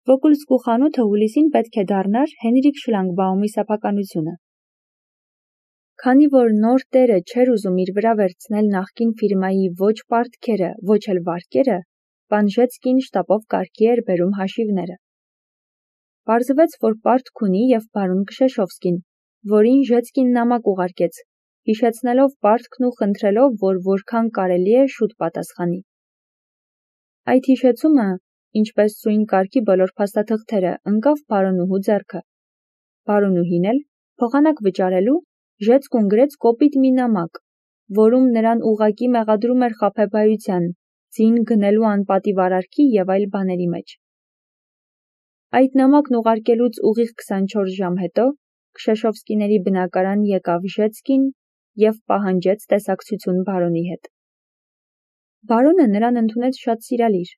Վոկուլսկու խանութը հուլիսին պետք է դառնար Հենրիկ Շլանգբաումի սեփականությունը։ Քանի որ նոր տերը չէր ուզում իր վրա վերցնել նախկին ֆիրմայի ոչ պարտքերը, ոչ էլ վարկերը, պան Ժեցկին շտապով կարգի էր բերում հաշիվները։ Պարզվեց, որ պարտք ունի և բարոն Քշեշովսկին, որին Ժեցկին նամակ ուղարկեց, հիշեցնելով պարտքն ու խնդրելով, որ որքան կարելի է շուտ պատասխանի։ Այդ հիշեցումը, ինչպես սույն կարգի բոլոր փաստաթղթերը, ընկավ բարոնուհու ձեռքը։ Բարոնուհին էլ, փոխանակ վճարելու, Ժեցկուն գրեց կոպիտ մի նամակ, որում նրան ուղղակի մեղադրում էր խաբեբայության, ձին գնելու անպատիվ արարքի և այլ բաների մեջ։ Այդ նամակն ուղարկելուց ուղիղ 24 ժամ հետո Քշեշովսկիների բնակարան եկավ Ժեցկին և պահանջեց տեսակցություն բարոնի հետ։ Բարոնը նրան ընդունեց շատ սիրալիր,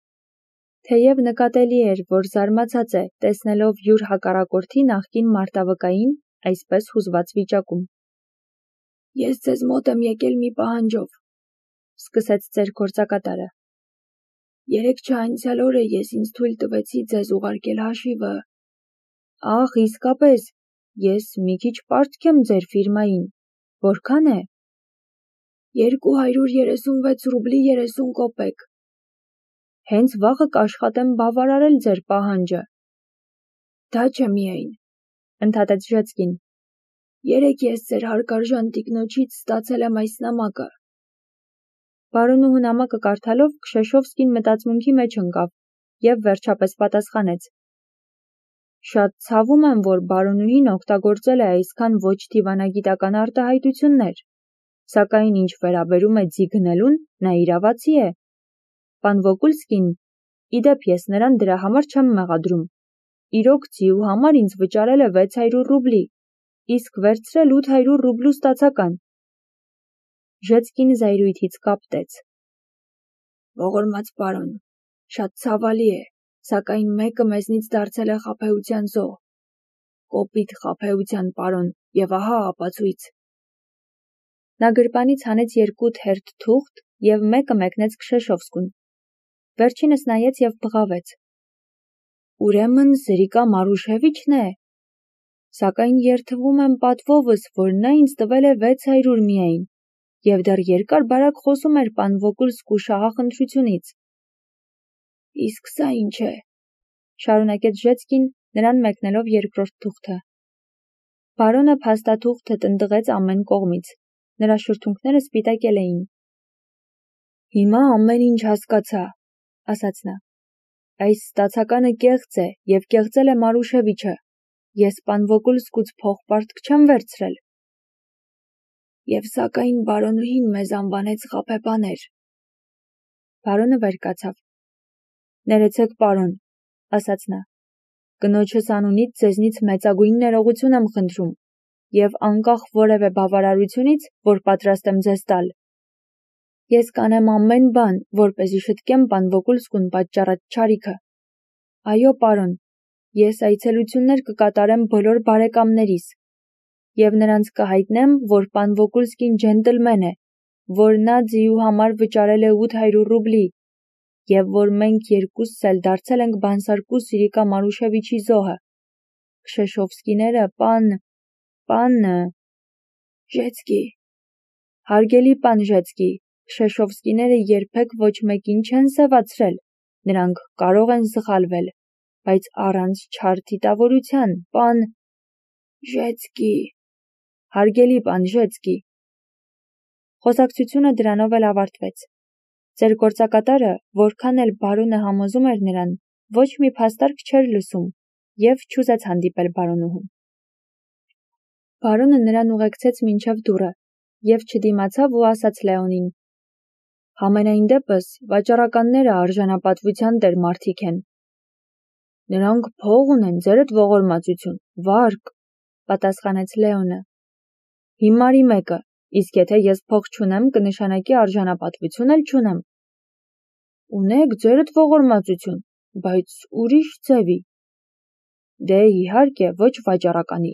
թեև նկատելի էր, որ զարմացած է, տեսնելով յուր հակառակորդի նախկին մարտավկային այսպես հուզված վիճակում։ Ես ձեզ մոտ եմ եկել մի պահանջով, սկսեց ծեր գործակատարը։ Երեքչա անցյալ օրը ես ինձ թույլ տվեցի ձեզ ուղարկել հաշիվը։ Ախ, իսկապես, ես մի քիչ պարտք եմ ձեր ֆիրմային։ Որքան է։ 236 ռուբլի 30 կոպեկ։ Հենց վաղը կաշխատեմ բավարարել ձեր պահանջը։ Դա չէ միայն, ընդհատեց Ժեցկին։ Երեկ ես ձեր հարգարժան տիկնոջից ստացել եմ այս նամակը։ Բարոնուհու նամակը կարդալով Քշեշովսկին մտածմունքի մեջ ընկավ և վերջապես պատասխանեց. Շատ ցավում եմ, որ բարոնուհին օգտագործել է այսքան ոչ դիվանագիտական արտահայտություններ, սակայն ինչ վերաբերում է ձի գնելուն, նա իրավացի է։ Պան Վոկուլսկին, իդեպ ես նրան դրա համար չեմ մեղադրում։ Իրոք ձիու համար ինձ վճարել է 600 ռուբլի, իսկ վերցրել 800 ռուբլու ստացական։ Ժեցկին զայրույթից կապտեց։ Ողորմած պարոն, շատ ցավալի է, սակայն մեկը մեզնից դարձել է խաբեության զոհ։ Կոպիտ խաբեության պարոն, և ահա ապացույց։ Նա գրպանից հանեց 2 թերթ թուղթ և մեկը մեկնեց Քշեշովսկուն։ Վերջինս նայեց և բղավեց. Ուրեմն Զրիկա Մարուշևիչն է։ Սակայն երդվում եմ պատվովս, որ նա ինձ տվել է 600 միայն, և դեռ երկար-բարակ խոսում էր պան Վոկուլսկու շահախնդրությունից։ Իսկ սա ինչ է, շարունակեց Ժեցկին, նրան մեկնելով երկրորդ թուղթը։ Բարոնը փաստաթուղթը տնտղեց ամեն կողմից, նրա շրթունքները սպիտակել էին։ Հիմա ամեն ինչ հասկացա, ասաց նա։ Այս ստացականը կեղծ է և կեղծել է Մարուշևիչը։ Ես պան Վոկուլսկուց փոխպարտք չեմ վերցրել։ Եվ սակայն բարոնուհին մեզ անվանեց խաբեբաներ։ Բարոնը վեր կացավ։ Ներեցեք, պարոն, ասաց նա։ Կնոջս անունից ձեզնից մեծագույն ներողություն եմ խնդրում և անկախ որևէ բավարարությունից, որ պատրաստ եմ ձեզ տալ։ Ես կանեմ ամեն բան, որպեսզի շտկեմ պան Վոկուլսկուն պատճառած չարիքը։ Այո, պարոն, ես այցելություններ կկատարեմ բոլոր բարեկամներիս և նրանց կհայտնեմ, որ պան Վոկուլսկին ջենտլմեն է, որ նա ձիու համար վճարել է 800 ռուբլի և որ մենք երկուսս էլ դարձել ենք բանսարկու Զրիկա Մարուշևիչի զոհը։ Քշեշովսկիները պան Ժեցկի։ Հարգելի պան Ժեցկի, Քշեշովսկիները երբեք ոչ մեկին չեն սևացրել, նրանք կարող են սխալվել, բայց առանց չար դիտավորության, պան Ժեցկի։ Հարգելի պան Ժեցկի։ Խոսակցությունը դրանով էլ ավարտվեց։ Ձեր գործակատարը, որքան էլ բարոնը համոզում էր նրան, ոչ մի փաստարկ չէր լսում և չուզեց հանդիպել բարոնուհուն։ Բարոնը նրան ուղեկցեց մինչև դուռը և չդիմացավ ու ասաց Լեոնին. Համենայն դեպս, վաճառականները արժանապատվության տեր մարդիկ են։ Նրանք փող ունեն, ձերդ ողորմածություն, վարկ, պատասխանեց Լեոնը։ Հիմարի մեկը, իսկ եթե ես փող չունեմ, կնշանակի արժանապատվություն էլ չունեմ։ Ունեք ձերդ ողորմածություն, բայց ուրիշ ձևի։ Դե իհարկե, ոչ վաճառականի,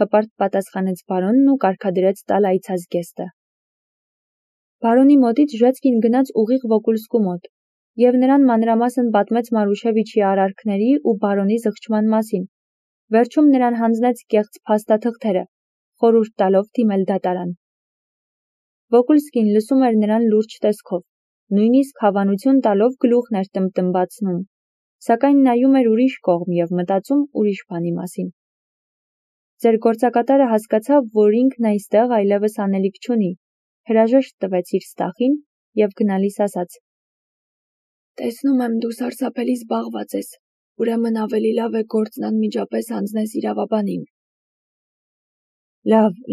հպարտ պատասխանեց բարոնն ու կարգադրեց տալ այցազգեստը։ Բարոնի մոտից Ժեցկին գնաց ուղիղ Վոկուլսկու մոտ և նրան մանրամասն պատմեց Մարուշևիչի արարքների ու բարոնի զղջման մասին, վերջում նրան հանձնեց կեղծ փաստաթղթերը, խորհուրդ տալով դիմել դատարան։ Վոկուլսկին լսում էր նրան լուրջ տեսքով, նույնիսկ հավանություն տալով գլուխն էր տմբտմբացնում, սակայն նայում էր ուրիշ կողմ և մտածում ուրիշ բանի մասին։ Ձեր գործակատարը հասկացավ, որ ինքն այստեղ այլևս անելիք չունի, հրաժեշտ տվեց իր ստախին և գնալիս ասաց. «Տեսնում եմ, դու սարսափելի զբաղված ես, ուրեմն ավելի լավ է գործն անմիջապես հանձնես իրավաբանին»։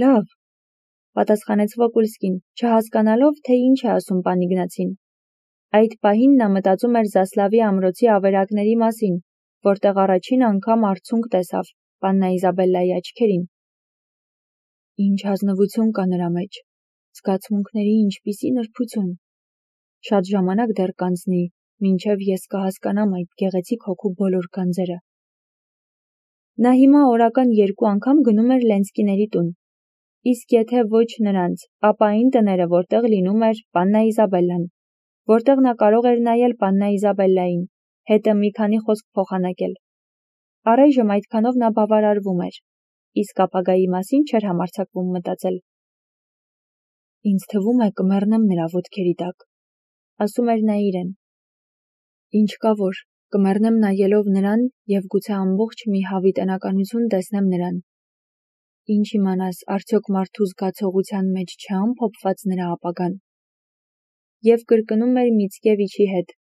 Լավ, պատասխանեց Վոկուլսկին, չհասկանալով, թե ինչ է ասում պան Իգնացին։ Այդ պահին նա մտածում էր Զասլավի ամրոցի ավերակների մասին, որտեղ առաջին անգամ արցունք տեսավ Պաննա Իզաբելլայի աչքերին։ Ինչ ազնվություն կա նրա մեջ, զգացմունքների ինչպիսի նրբություն։ Շատ ժամանակ դեռ կանցնի, մինչև ես կհասկանամ այդ գեղեցիկ հոգու բոլոր գանձերը։ Նա հիմա օրական 2 անգամ գնում էր Լենսկիների տուն, իսկ եթե ոչ նրանց, ապա այն տները, որտեղ լինում էր Պաննա Իզաբելլան, որտեղ նա կարող էր նայել Պաննա Իզաբելլային, հետը մի քանի խոսք փոխանակել։ Առայժմ այդքանով նա բավարարվում էր, իսկ ապագայի մասին չէր համարձակվում մտածել։ Ինձ թվում է կմեռնեմ նրա ոտքերի տակ, ասում էր նա իրեն։ Ինչ կա որ, կմեռնեմ նայելով նրան և գուցե ամբողջ մի հավիտենականություն տեսնեմ նրան։ Ինչ իմանաս, արդյոք մարդու զգացողության մեջ չէ ամփոփված նրա ապագան։ Եվ կրկնում էր Միցկևիչի հետ.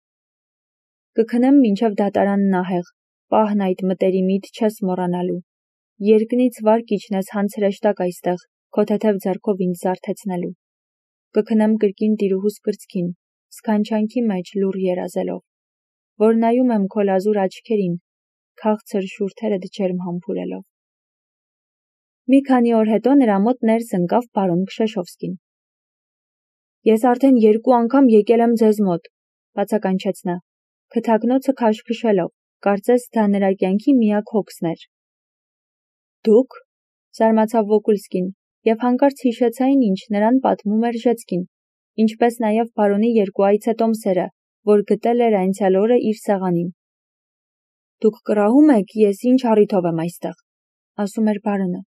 Կքնեմ մինչև դատարանն ահեղ, պահն այդ մտերիմիդ չես մոռանալու։ Երկնից վարկ իջնես հանց հրեշտակ այստեղ, քո թեթև ձեռքով ինձ զարթեցնելու։ Կքնեմ կրկին տիրուհուս կրծքին, սքանչանքի մեջ լուռ երազելով, որ նայում եմ քո լազուր աչքերին, քաղցր շուրթերդ ջերմ համբուրելով։ Մի քանի օր հետո նրա մոտ ներս ընկավ բարոն Քշեշովսկին։ Ես արդեն 2 անգամ եկել եմ ձեզ մոտ, բացականչեց նա, քթակնոցը քաշքշելով, կարծես դա նրա կյանքի միակ հոգսն էր։ Դուք, զարմացավ Վոկուլսկին, և հանկարծ հիշեց այն, ինչ նրան պատմում էր Ժեցկին, ինչպես նաև բարոնի 2 այցետոմսերը, որ գտել էր անցյալ օրը իր սեղանին։ Դուք կռահում եք, ես ինչ առիթով եմ այստեղ, ասում էր բարոնը։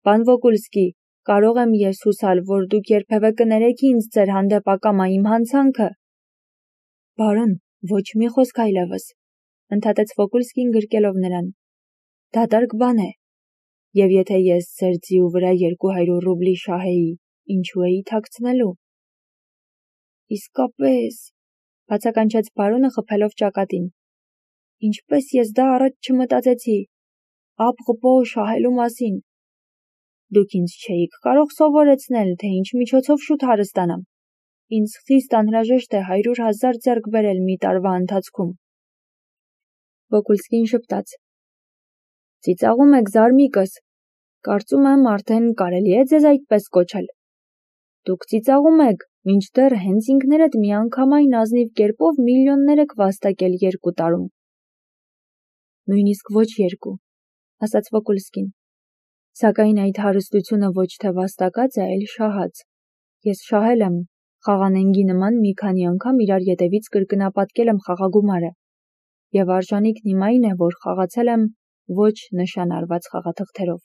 Պան Վոկուլսկի, կարող եմ ես հուսալ, որ դուք երբևէ կներեք ինձ ձեր հանդեպ ակամա իմ հանցանքը։ Բարոն, ոչ մի խոսք այլևս, ընդհատեց Վոկուլսկին գրկելով նրան։ Դատարկ բան է։ Եվ եթե ես ձեր ձիու վրա 200 ռուբլի շահեի, ինչու էի թաքցնելու։ Իսկապես, բացականչեց բարոնը խփելով ճակատին։ Ինչպես ես դա առաջ չմտածեցի։ Ապղպո շահելու մասին։ Դուք ինձ չէիք կարող սովորեցնել, թե ինչ միջոցով շուտ հարստանամ։ Ինձ խիստ անհրաժեշտ է 100,000 ձեռք բերել մի տարվա ընթացքում։ Վոկուլսկին շպտաց. Ծիծաղում եք զարմիկս, կարծում եմ արդեն կարելի է ձեզ այդպես կոչել։ Դուք ծիծաղում եք, մինչդեռ հենց ինքներդ միանգամայն ազնիվ կերպով միլիոններ եք վաստակել 2 տարում։ Նույնիսկ ոչ 2, ասաց Վոկուլսկին։ Սակայն այդ հարստությունը ոչ թե վաստակած է, այլ շահած։ Ես շահել եմ, խաղանենգի նման մի քանի անգամ իրար ետևից կրկնապատկել եմ խաղագումարը, և արժանիքն իմ այն է, որ խաղացել եմ ոչ նշան արված խաղաթղթերով։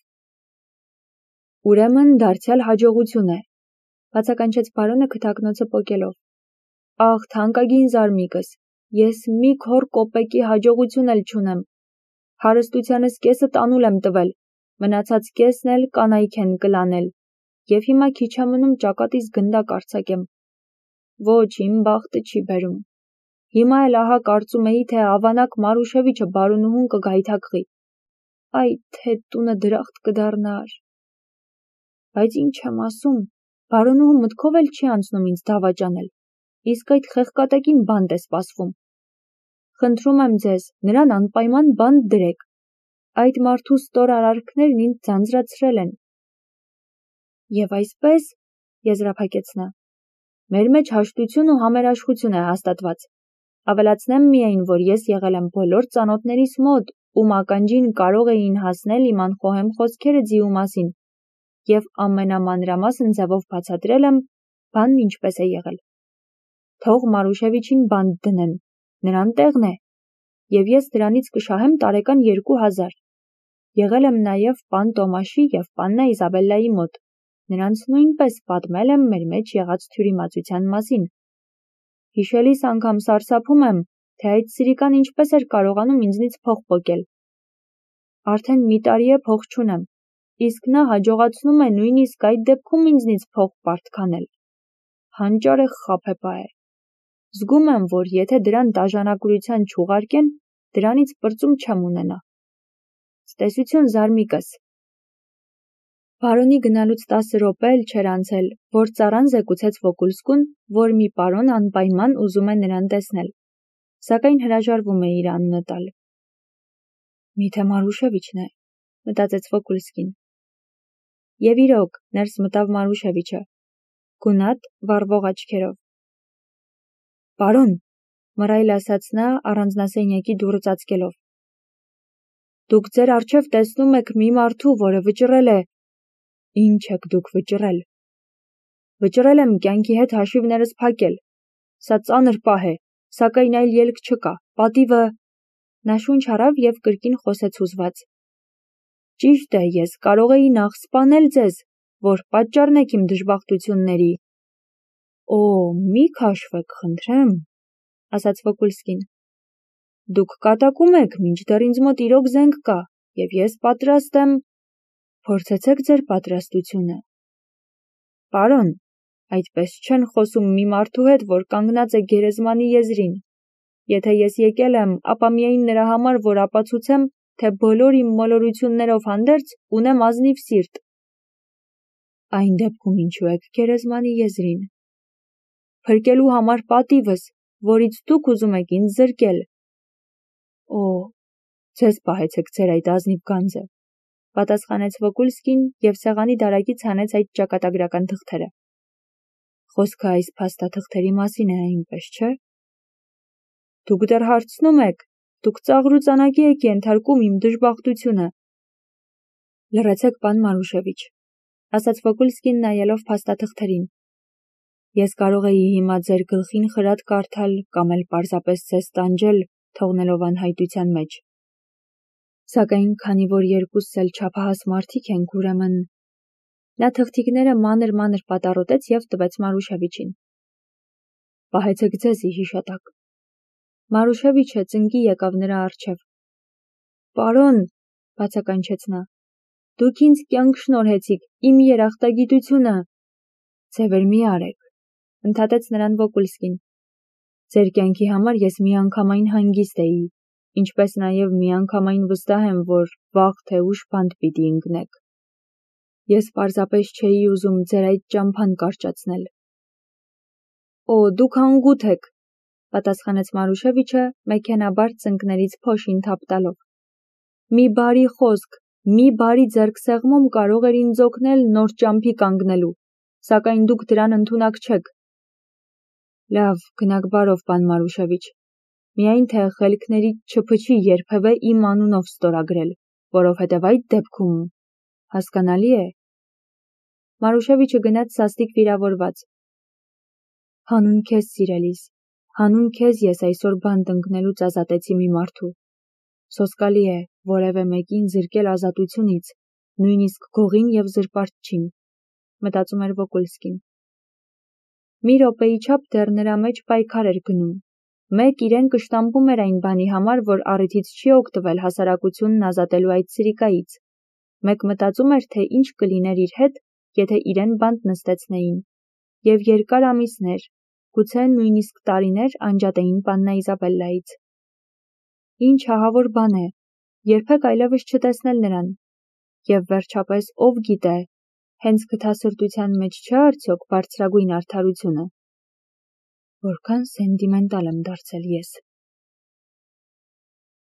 Ուրեմն դարձյալ հաջողություն է, բացականչեց բարոնը քթակնոցը պոկելով։ Աղ, թանկագին զարմիկս, ես մի քոր կոպեկի հաջողություն էլ չունեմ։ Հարստությանս կեսը տանուլ եմ տվել, մնացած կեսն էլ կանայք են կլանել, և հիմա քիչ է մնում ճակատիս գնդակ արձակեմ։ Ոչ, իմ բախտը չի բերում։ Հիմա էլ ահա կարծում էի, թե ավանակ Մարուշևիչը բարոնուհուն կգայթակղի։ Այ թե տունը դրախտ կդառնար։ Բայց ինչ եմ ասում, բարոնուհու մտքով էլ չի անցնում ինձ դավաճանել, իսկ այդ խեղկատեկին բանտ է սպասվում։ Խնդրում եմ ձեզ, նրան անպայման բանտ դրեք։ Այդ մարդու ստոր արարքներն ինձ ձանձրացրել են։ Եվ այսպես, եզրափակեց նա, մեր մեջ հաշտություն ու համերաշխություն է հաստատված։ Ավելացնեմ միայն, որ ես եղել եմ բոլոր ծանոթներիս մոտ, ում ականջին կարող էին հասնել իմ անխոհեմ խոսքերը ձիու մասին, և ամենամանրամասն ձևով բացատրել եմ, բանն ինչպես է եղել։ թող Մարուշևիչին բանտ դնեն, նրան տեղն է, և ես դրանից կշահեմ տարեկան 2000. Եղել եմ նաև պան Տոմաշի և պաննա Իզաբելլայի մոտ, նրանց նույնպես պատմել եմ մեր մեջ եղած թյուրիմացության մասին. հիշելիս անգամ սարսափում եմ, թե այդ սիրիկան ինչպես էր կարողանում ինձնից փող պոկել. արդեն մի տարի է փող չունեմ, իսկ նա հաջողացնում է նույնիսկ այդ դեպքում ինձնից փող պարտքանել. հանճարեղ խաբեբա է. զգում եմ, որ եթե դրան դաժանակուրության չուղարկեն, դրանից պրծում չեմ ունենա. Ցտեսություն զարմիկս. Բարոնի գնալուց 10 րոպե էլ չէր անցել, որ ծառան զեկուցեց Վոկուլսկուն, որ մի պարոն անպայման ուզում է նրան տեսնել, սակայն հրաժարվում է իր անունը տալ. Միթե Մարուշևիչն է, մտածեց Վոկուլսկին. Եվ իրոք, ներս մտավ Մարուշևիչը, գունատ, վառվող աչքերով. Պարոն, մռայլ ասաց նա առանձնասենյակի դուռը ծածկելով. Դուք ձեր առջև տեսնում եք մի մարդու, որը վճռել է. Ինչ եք դուք վճռել. Վճռել եմ կյանքի հետ հաշիվներս փակել. Սա ծանր պահ է, սակայն այլ ելք չկա, պատիվը. Նա շունչ առավ և կրկին խոսեց հուզված. Ճիշտ է, ես կարող էի նախ սպանել ձեզ, որ պատճառն եք իմ դժբախտությունների. Օ, մի քաշվեք, խնդրեմ, ասաց Վոկուլսկին. Դուք կատակում եք, մինչդեռ ինձ մոտ իրոք զենք կա, և ես պատրաստ եմ, փորձեցեք ձեր պատրաստությունը. Պարոն, այդպես չեն խոսում մի մարդու հետ, որ կանգնած է գերեզմանի եզրին. եթե ես եկել եմ, ապա միայն նրա համար, որ ապացուցեմ, թե բոլոր իմ մոլորություններով հանդերձ ունեմ ազնիվ սիրտ. Այն դեպքում ինչու եք գերեզմանի եզրին. Փրկելու համար պատիվս, որից դուք ուզում եք ինձ զրկել. Օ, ձեզ պահեցեք ձեր այդ ազնիվ գանձը, պատասխանեց Վոկուլսկին և սեղանի դարակից հանեց այդ ճակատագրական թղթերը. Խոսքը այս փաստաթղթերի մասին է, այնպես չէ՞։ Դուք դեռ հարցնում եք, դուք ծաղրուծանակի եք ենթարկում իմ դժբախտությունը։ Լռեցեք, պան Մարուշևիչ, ասաց Վոկուլսկին նայելով փաստաթղթերին. Ես կարող էի հիմա ձեր գլխին խրատ կարդալ կամ էլ պարզապես ձեզ տանջել, թողնելով անհայտության մեջ։ Սակայն քանի որ երկուսս էլ չափահաս մարդիկ ենք, ուրեմն նա թղթիկները մանր պատառոտեց և տվեց Մարուշևիչին։ Պահեցեք ձեզի հիշատակ։ Մարուշևիչը ծնկի եկավ նրա առջև։ Պարոն, բացականչեց նա, դուք ինձ կյանք շնորհեցիք, իմ երախտագիտությունը։ Ձևեր մի արեք, ընդհատեց նրան Վոկուլսկին։ Ձեր կյանքի համար ես միանգամայն հանգիստ էի, ինչպես նաև միանգամայն վստահ եմ, որ վաղ թե ուշ բանտ պիտի ընկնեք։ Ես պարզապես չէի ուզում ձեր այդ ճամփան կարճացնել։ Օ, դուք անգութ եք, պատասխանեց Մարուշևիչը մեքենաբար ծնկներից փոշին թափ տալով։ Մի բարի խոսք, մի բարի ձեռքսեղմում կարող էր ինձ օգնել նոր ճամփի կանգնելու, սակայն դուք դրան ընդունակ չեք։ Լավ, գնաք բարով, պան Մարուշևիչ, միայն թե խելքներից չփչի երբևէ իմ անունով ստորագրել, որովհետև այդ դեպքում հասկանալի է։ Մարուշևիչը գնաց սաստիկ վիրավորված։ Հանուն քեզ, սիրելիս, հանուն քեզ ես այսօր բանտ ընկնելուց ազատեցի մի մարդու։ Սոսկալի է որևէ մեկին զրկել ազատությունից, նույնիսկ գողին և զրպարտչին, մտածում էր Վոկուլսկին։ Մի րոպեի չափ դեռ նրա մեջ պայքար էր գնում։ Մեկ իրեն կշտամբում էր այն բանի համար, որ առիթից չի օգտվել հասարակությունն ազատելու այդ սիրիկայից։ Մեկ մտածում էր, թե ինչ կլիներ իր հետ, եթե իրեն բանտ նստեցնեին, և երկար ամիսներ, գուցե նույնիսկ տարիներ անջատեին պաննա Իզաբելլայից։ Ինչ ահավոր բան է, երբեք այլևս չտեսնել նրան։ Եվ վերջապես ով գիտե, հենց գթասրտության մեջ չէ արդյոք բարձրագույն արդարությունը։ Որքան սենտիմենտալ եմ դարձել ես։